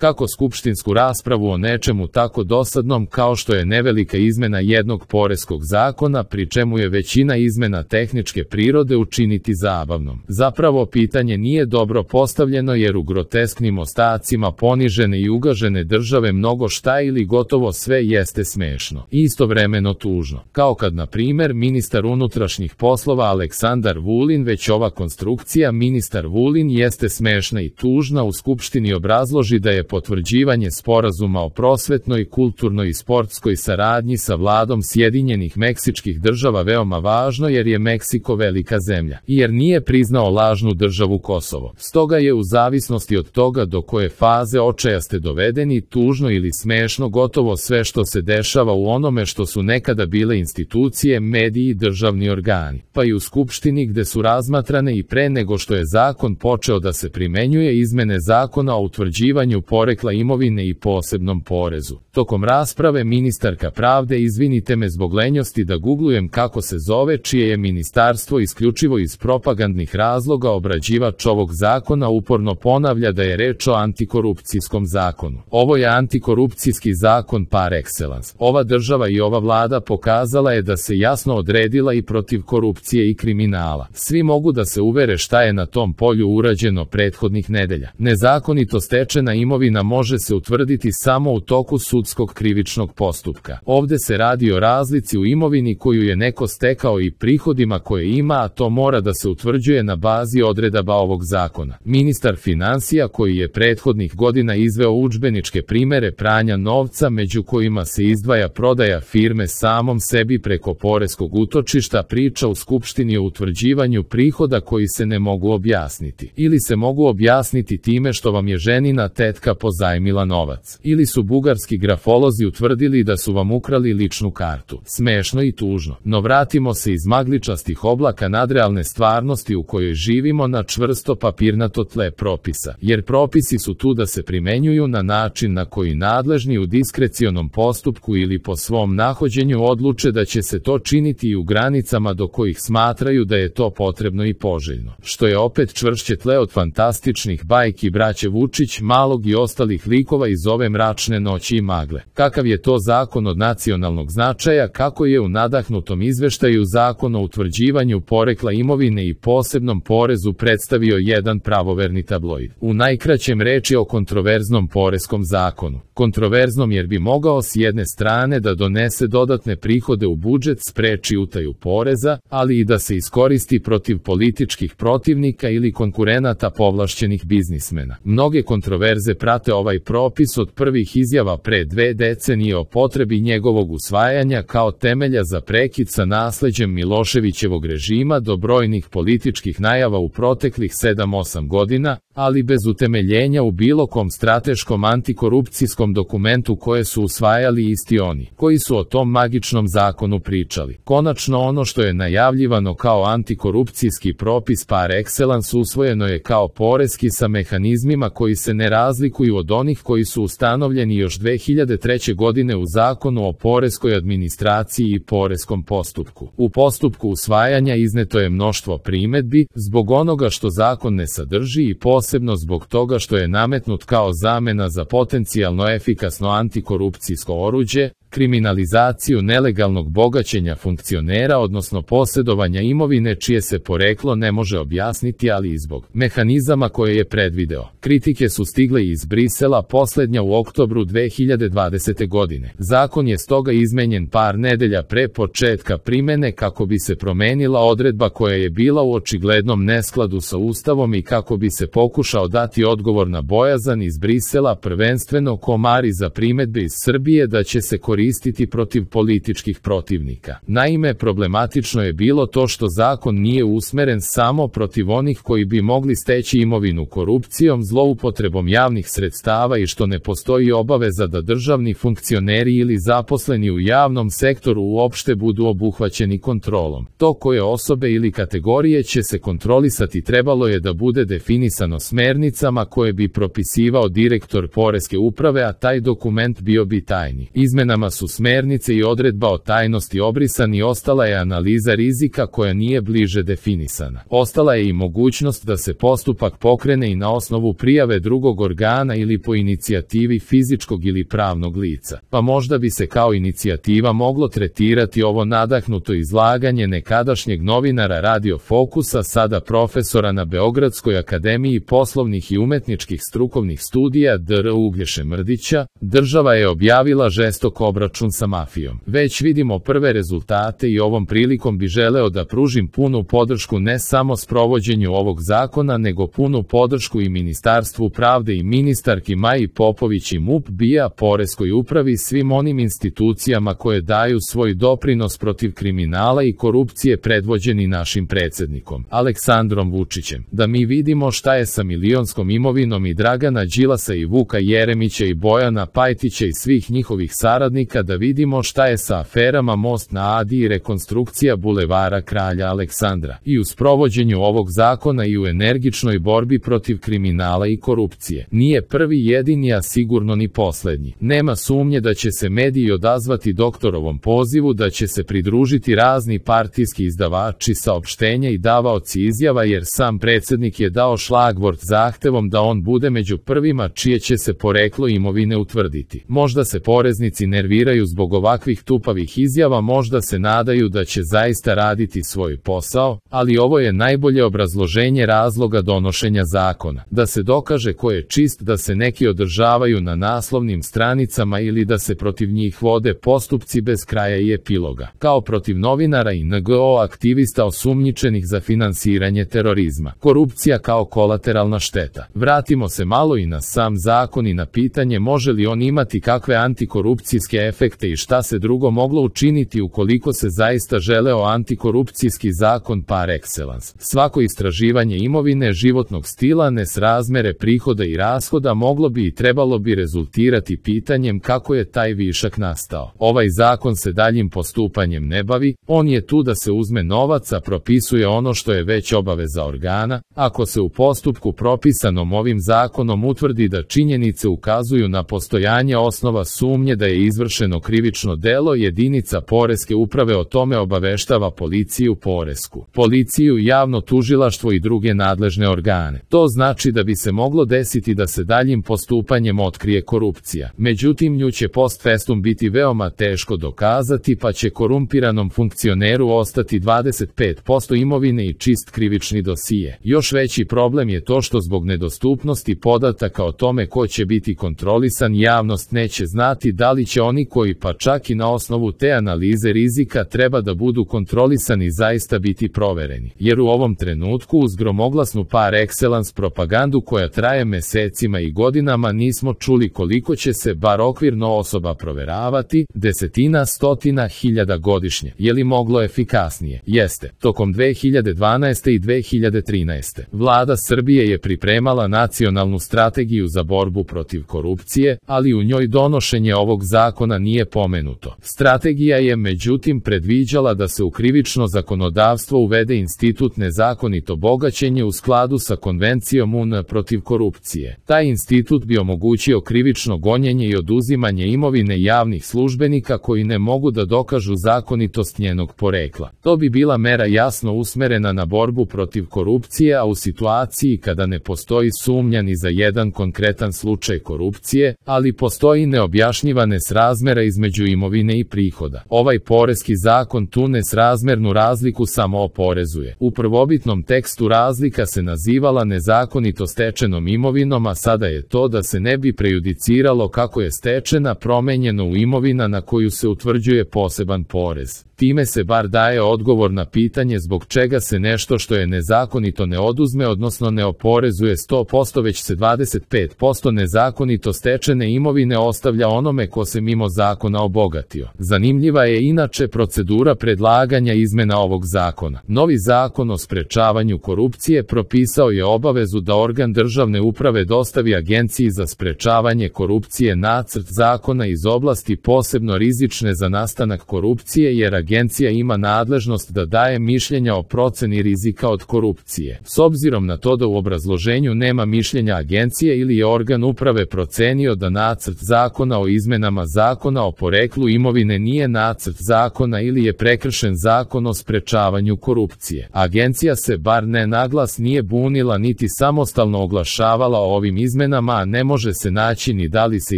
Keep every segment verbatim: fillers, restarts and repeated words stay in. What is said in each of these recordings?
Kako skupštinsku raspravu o nečemu tako dosadnom kao što je nevelika izmena jednog poreskog zakona, pri čemu je većina izmena tehničke prirode, učiniti zabavnom? Zapravo pitanje nije dobro postavljeno, jer u grotesknim ostacima ponižene i ugažene države mnogo šta ili gotovo sve jeste smešno i istovremeno tužno. Kao kad, na primer, ministar unutrašnjih poslova Aleksandar Vulin, već ova konstrukcija ministar Vulin jeste smešna i tužna, u Skupštini obrazloži da je potvrđivanje sporazuma o prosvetnoj, kulturnoj i sportskoj saradnji sa vladom Sjedinjenih Meksičkih država veoma važno, jer je Meksiko velika zemlja i jer nije priznao lažnu državu Kosovo. Stoga je, u zavisnosti od toga do koje faze očaja ste dovedeni, tužno ili smešno gotovo sve što se dešava u onome što su nekada bile institucije, mediji i državni organi, pa i u Skupštini, gde su razmatrane i pre nego što je zakon počeo da se primenjuje izmene zakona o utvrđivanju porekla imovine i posebnom porezu. Tokom rasprave ministarka pravde, izvinite me zbog lenjosti da guglujem kako se zove, čije je ministarstvo isključivo iz propagandnih razloga obrađivač ovog zakona, uporno ponavlja da je reč o antikorupcijskom zakonu. Ovo je antikorupcijski zakon par excellence. Ova država i ova vlada pokazala je da se jasno odredila i protiv korupcije i kriminala. Svi mogu da se uvere šta je na tom polju urađeno prethodnih nedelja. Nezakonito stečena imovina može se utvrditi samo u toku sudskog krivičnog postupka. Ovde se radi o razlici u imovini koju je neko stekao i prihodima koje ima, a to mora da se utvrđuje na bazi odredaba ovog zakona. Ministar finansija, koji je prethodnih godina izveo udžbeničke primere pranja novca, među kojima se izdvaja prodaja firme samom sebi preko poreskog utočišta, priča u Skupštini o utvrđivanju prihoda koji se ne mogu objasniti. Ili se mogu objasniti time što vam je ženina tetka pozajmila novac. Ili su bugarski grafolozi utvrdili da su vam ukrali ličnu kartu. Smešno i tužno. No vratimo se iz magličastih oblaka nadrealne stvarnosti u kojoj živimo na čvrsto papirnato tle propisa. Jer propisi su tu da se primenjuju na način na koji nadležni u diskrecionom postupku ili po svom nahođenju odluče da će se to činiti i u granicama do kojih smatraju da je to potrebno i poželjno. Što je opet čvršće tle od fantastičnih bajki braće Vučić, Malog i ostalih likova iz ove mračne noći i magle. Kakav je to zakon od nacionalnog značaja, kako je u nadahnutom izveštaju Zakon o utvrđivanju porekla imovine i posebnom porezu predstavio jedan pravoverni tabloid. U najkraćem, reč je o kontroverznom poreskom zakonu. Kontroverznom jer bi mogao s jedne strane da donese dodatne prihode u budžet, spreči utaju poreza, ali i da se iskoristi protiv političkih protivnika ili konkurenata povlašćenih biznismena. Mnoge kontroverze prate ovaj propis, od prvih izjava pre dve decenije o potrebi njegovog usvajanja kao temelja za prekid sa nasleđem Miloševićevog režima do brojnih političkih najava u proteklih sedam osam godina, ali bez utemeljenja u bilo kom strateškom antikorupcijskom dokumentu koje su usvajali isti oni, koji su o tom magičnom zakonu pričali. Konačno, ono što je najavljivano kao antikorupcijski propis par excellence usvojeno je kao poreski sa mehanizmima koji se ne razlikuju od onih koji su ustanovljeni još dve hiljade treće godine u Zakonu o poreskoj administraciji i poreskom postupku. U postupku usvajanja izneto je mnoštvo primedbi zbog onoga što zakon ne sadrži i posebno zbog toga što je nametnut kao zamena za potencijalno efikasno antikorupcijsko oruđe, kriminalizaciju nelegalnog bogaćenja funkcionera, odnosno posjedovanja imovine čije se poreklo ne može objasniti, ali i zbog mehanizama koje je predvideo. Kritike su stigle iz Brisela, poslednja u oktobru dve hiljade dvadesete. godine. Zakon je stoga izmenjen par nedelja pre početka primene kako bi se promenila odredba koja je bila u očiglednom neskladu sa Ustavom i kako bi se pokušao dati odgovor na bojazan iz Brisela, prvenstveno komari za primedbe iz Srbije da će se koristiti protiv političkih protivnika. Naime, problematično je bilo to što zakon nije usmeren samo protiv onih koji bi mogli steći imovinu korupcijom, zloupotrebom javnih sredstava i što ne postoji obaveza da državni funkcioneri ili zaposleni u javnom sektoru uopšte budu obuhvaćeni kontrolom. To koje osobe ili kategorije će se kontrolisati trebalo je da bude definisano smernicama koje bi propisivao direktor poreske uprave, a taj dokument bio bi tajni. Izmenama su smernice i odredba o tajnosti obrisani, ostala je analiza rizika koja nije bliže definisana. Ostala je i mogućnost da se postupak pokrene i na osnovu prijave drugog organa ili po inicijativi fizičkog ili pravnog lica. Pa možda bi se kao inicijativa moglo tretirati ovo nadahnuto izlaganje nekadašnjeg novinara Radio Fokusa, sada profesora na Beogradskoj akademiji poslovnih i umetničkih strukovnih studija D R Uglješe Mrdića. Država je objavila žestok obračun sa mafijom. Već vidimo prve rezultate i ovom prilikom bi želeo da pružim punu podršku ne samo sprovođenju ovog zakona, nego punu podršku i Ministarstvu pravde i ministarki Maji Popović i M U P B I A, Poreskoj upravi, svim onim institucijama koje daju svoj doprinos protiv kriminala i korupcije predvođeni našim predsjednikom Aleksandrom Vučićem. Da mi vidimo šta je sa milionskom imovinom i Dragana Đilasa i Vuka Jeremića i Bojana Pajtića i svih njihovih saradnika, da vidimo šta je sa aferama Most na Adi i rekonstrukcija bulevara Kralja Aleksandra. I u sprovođenju ovog zakona i u energičnoj borbi protiv kriminala i korupcije. Nije prvi jedini, a sigurno ni poslednji. Nema sumnje da će se mediji odazvati doktorovom pozivu, da će se pridružiti razni partijski izdavači saopštenja i davaoci izjava, jer sam predsjednik je dao šlagvort zahtevom da on bude među prvima čije će se poreklo imovine utvrditi. Možda se poreznici nerviraju zbog ovakvih tupavih izjava, možda se nadaju da će zaista raditi svoj posao, ali ovo je najbolje obrazloženje razloga donošenja zakona. Da se dokaže ko je čist, da se neki održavaju na naslovnim stranicama ili da se protiv njih vode postupci bez kraja i epiloga. Kao protiv novinara i N G O aktivista osumnjičenih za finansiranje terorizma. Korupcija kao kolateralna šteta. Vratimo se malo i na sam zakon i na pitanje može li on imati kakve antikorupcijske efekte i šta se drugo moglo učiniti ukoliko se zaista želeo antikorupcijski zakon par excellence. Svako istraživanje imovine, životnog stila, nesrazmere prihoda i rashoda moglo bi i trebalo bi rezultirati pitanjem kako je taj višak nastao. Ovaj zakon se daljim postupanjem ne bavi, on je tu da se uzme novac, a propisuje ono što je već obaveza organa. Ako se u postupku propisanom ovim zakonom utvrdi da činjenice ukazuju na postojanje osnova sumnje da je izvršeno krivično delo, jedinica Poreske uprave o tome obaveštava policiju Poresku, policiju, javno tužilaštvo i druge nadležne organe. To znači da bi se moglo desiti da se daljim postupanjem otkrije korupcija. Međutim, nju će post festum biti veoma teško dokazati, pa će korumpiranom funkcioneru ostati dvadeset pet posto imovine i čist krivični dosije. Još veći problem je to što zbog nedostupnosti podataka o tome ko će biti kontrolisan, javnost neće znati da li će oni koji pa čak i na osnovu te analize rizika treba da budu kontrolisani zaista biti provereni. Jer u ovom trenutku uz gromoglasnu par excellence propagandu koja traje mesecima i godinama nismo čuli koliko će se bar okvirno osoba proveravati, desetina, stotina hiljada godišnje. Je li moglo efikasnije? Jeste. Tokom dve hiljade dvanaeste i dve hiljade trinaeste. Vlada Srbije je pripremala nacionalnu strategiju za borbu protiv korupcije, ali u njoj donošenje ovog zakona nije pomenuto. Strategija je međutim predviđala da se u krivično zakonodavstvo uvede institut nezakonito bogaćenje u skladu sa konvencijom U N protiv korupcije. Taj institut bi omogućio krivično gonjenje i oduzimanje imovine javnih službenika koji ne mogu da dokažu zakonitost njenog porekla. To bi bila mera jasno usmerena na borbu protiv korupcije, a u situaciji kada ne postoji sumnja ni za jedan konkretan slučaj korupcije, ali postoji neobjašnjiva nesrazmera između imovine i prihoda. Ovaj poreski zakon tu nesrazmernu razliku samo oporezuje. U prvobitnom tekstu razlika se nazivala nezakonito stečenom imovinom, a sada je to da se ne bi prejudiciralo kako je stečena promenjeno u imovina na koju se utvrđuje poseban porez. Time se bar daje odgovor na pitanje zbog čega se nešto što je nezakonito ne oduzme, odnosno ne oporezuje sto posto, već se dvadeset pet posto nezakonito stečene imovine ostavlja onome ko se mimo zakona obogatio. Zanimljiva je inače procedura predlaganja izmena ovog zakona. Novi zakon o sprečavanju korupcije propisao je obavezu da organ državne uprave dostavi Agenciji za sprečavanje korupcije nacrt zakona iz oblasti posebno rizične za nastanak korupcije, jer Agencija ima nadležnost da daje mišljenja o proceni rizika od korupcije. S obzirom na to da u obrazloženju nema mišljenja agencije ili je organ uprave procenio da nacrt zakona o izmenama zakona zakona o poreklu imovine nije nacrt zakona ili je prekršen zakon o sprečavanju korupcije. Agencija se bar ne naglas nije bunila niti samostalno oglašavala o ovim izmenama, a ne može se naći ni da li se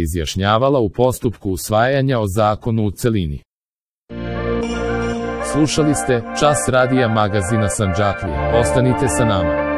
izjašnjavala u postupku usvajanja o zakonu u celini. Slušali ste Čas radija magazina Sandžaklija. Ostanite sa nama.